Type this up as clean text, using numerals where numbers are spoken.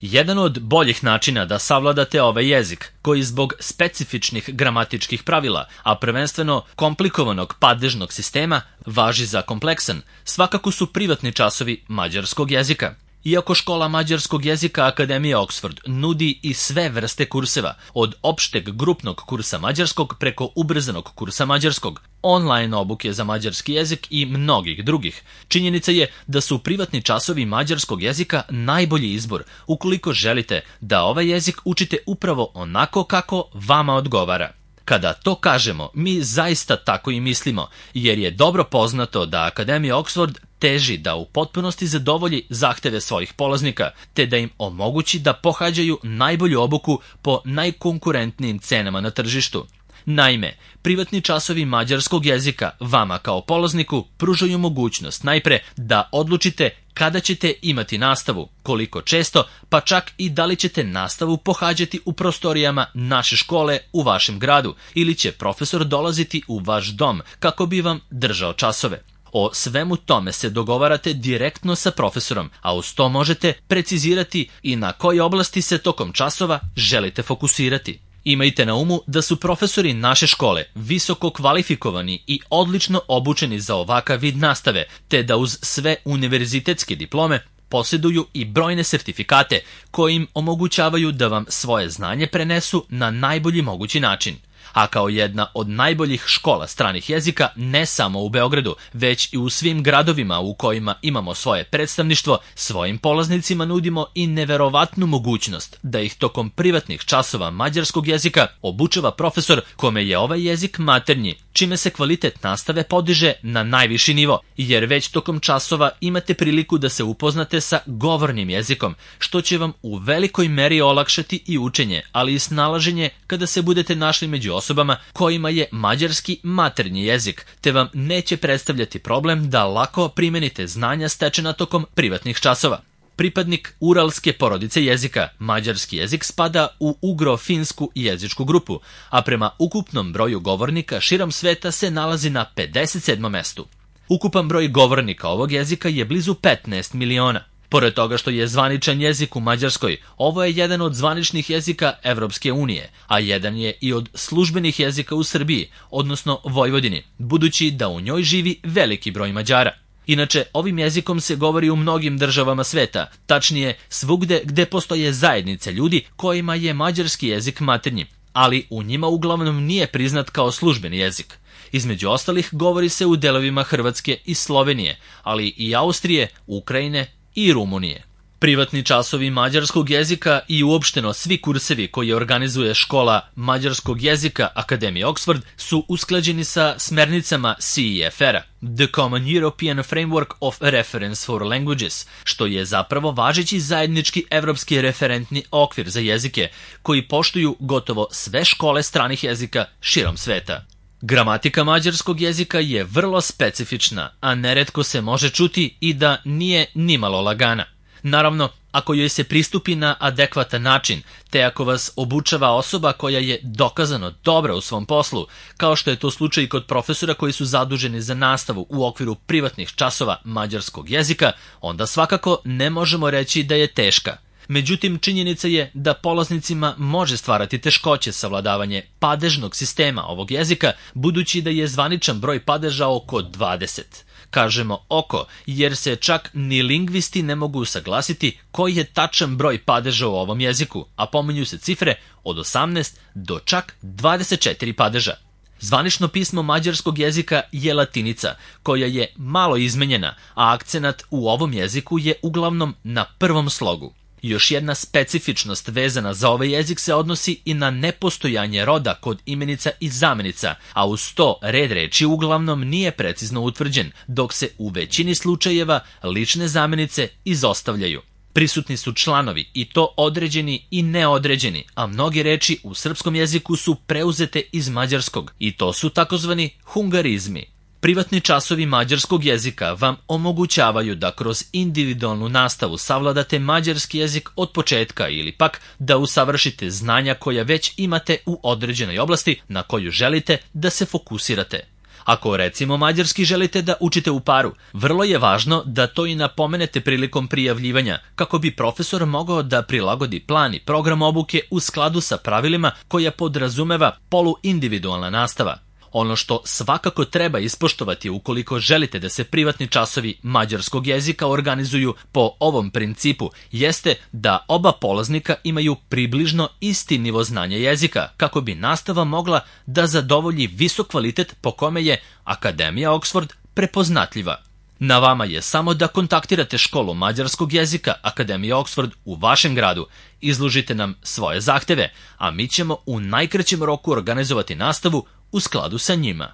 Jedan od boljih načina da savladate ovaj jezik, koji zbog specifičnih gramatičkih pravila, a prvenstveno komplikovanog padežnog sistema, važi za kompleksan, svakako su privatni časovi mađarskog jezika. Iako škola mađarskog jezika Akademije Oxford nudi i sve vrste kurseva, od opšteg grupnog kursa mađarskog preko ubrzanog kursa mađarskog, online obuke za mađarski jezik i mnogih drugih, činjenica je da su privatni časovi mađarskog jezika najbolji izbor ukoliko želite da ovaj jezik učite upravo onako kako vama odgovara. Kada to kažemo, mi zaista tako i mislimo, jer je dobro poznato da Akademija Oxford teži da u potpunosti zadovolji zahteve svojih polaznika, te da im omogući da pohađaju najbolju obuku po najkonkurentnijim cenama na tržištu. Naime, privatni časovi mađarskog jezika vama kao polazniku pružaju mogućnost najpre da odlučite kada ćete imati nastavu, koliko često, pa čak i da li ćete nastavu pohađati u prostorijama naše škole u vašem gradu ili će profesor dolaziti u vaš dom kako bi vam držao časove. O svemu tome se dogovarate direktno sa profesorom, a uz to možete precizirati i na koje oblasti se tokom časova želite fokusirati. Imajte na umu da su profesori naše škole visoko kvalifikovani i odlično obučeni za ovakav vid nastave, te da uz sve univerzitetske diplome posjeduju i brojne sertifikate koji im omogućavaju da vam svoje znanje prenesu na najbolji mogući način. A kao jedna od najboljih škola stranih jezika, ne samo u Beogradu, već i u svim gradovima u kojima imamo svoje predstavništvo, svojim polaznicima nudimo i neverovatnu mogućnost da ih tokom privatnih časova mađarskog jezika obučava profesor kome je ovaj jezik maternji, čime se kvalitet nastave podiže na najviši nivo, jer već tokom časova imate priliku da se upoznate sa govornim jezikom, što će vam u velikoj meri olakšati i učenje, ali i snalaženje kada se budete našli među osobama kojima je mađarski maternji jezik, te vam neće predstavljati problem da lako primenite znanja stečena tokom privatnih časova. Pripadnik uralske porodice jezika, mađarski jezik spada u ugro-finsku jezičku grupu, a prema ukupnom broju govornika širom sveta se nalazi na 57. mestu. Ukupan broj govornika ovog jezika je blizu 15 miliona. Pored toga što je zvaničan jezik u Mađarskoj, ovo je jedan od zvaničnih jezika Evropske unije, a jedan je i od službenih jezika u Srbiji, odnosno Vojvodini, budući da u njoj živi veliki broj Mađara. Inače, ovim jezikom se govori u mnogim državama sveta, tačnije svugde gde postoje zajednice ljudi kojima je mađarski jezik maternji, ali u njima uglavnom nije priznat kao službeni jezik. Između ostalih govori se u delovima Hrvatske i Slovenije, ali i Austrije, Ukrajine i Rumunije. Privatni časovi mađarskog jezika i uopšteno svi kursevi koje organizuje škola mađarskog jezika Akademije Oxford su usklađeni sa smernicama CEFR-a, The Common European Framework of Reference for Languages, što je zapravo važeći zajednički evropski referentni okvir za jezike koji poštuju gotovo sve škole stranih jezika širom sveta. Gramatika mađarskog jezika je vrlo specifična, a neretko se može čuti i da nije nimalo lagana. Naravno, ako joj se pristupi na adekvatan način, te ako vas obučava osoba koja je dokazano dobra u svom poslu, kao što je to slučaj i kod profesora koji su zaduženi za nastavu u okviru privatnih časova mađarskog jezika, onda svakako ne možemo reći da je teška. Međutim, činjenica je da polaznicima može stvarati teškoće savladavanje padežnog sistema ovog jezika, budući da je zvaničan broj padeža oko 20. Kažemo oko, jer se čak ni lingvisti ne mogu usaglasiti koji je tačan broj padeža u ovom jeziku, a pominju se cifre od 18 do čak 24 padeža. Zvanično pismo mađarskog jezika je latinica, koja je malo izmenjena, a akcenat u ovom jeziku je uglavnom na prvom slogu. Još jedna specifičnost vezana za ovaj jezik se odnosi i na nepostojanje roda kod imenica i zamenica, a uz to red reči uglavnom nije precizno utvrđen, dok se u većini slučajeva lične zamenice izostavljaju. Prisutni su članovi, i to određeni i neodređeni, a mnoge reči u srpskom jeziku su preuzete iz mađarskog, i to su takozvani hungarizmi. Privatni časovi mađarskog jezika vam omogućavaju da kroz individualnu nastavu savladate mađarski jezik od početka ili pak da usavršite znanja koja već imate u određenoj oblasti na koju želite da se fokusirate. Ako recimo mađarski želite da učite u paru, vrlo je važno da to i napomenete prilikom prijavljivanja, kako bi profesor mogao da prilagodi plan i program obuke u skladu sa pravilima koja podrazumeva poluindividualna nastava. Ono što svakako treba ispoštovati ukoliko želite da se privatni časovi mađarskog jezika organizuju po ovom principu jeste da oba polaznika imaju približno isti nivo znanja jezika kako bi nastava mogla da zadovolji visok kvalitet po kome je Akademija Oxford prepoznatljiva. Na vama je samo da kontaktirate školu mađarskog jezika Akademije Oxford u vašem gradu, izložite nam svoje zahteve, a mi ćemo u najkraćem roku organizovati nastavu u skladu sa njima.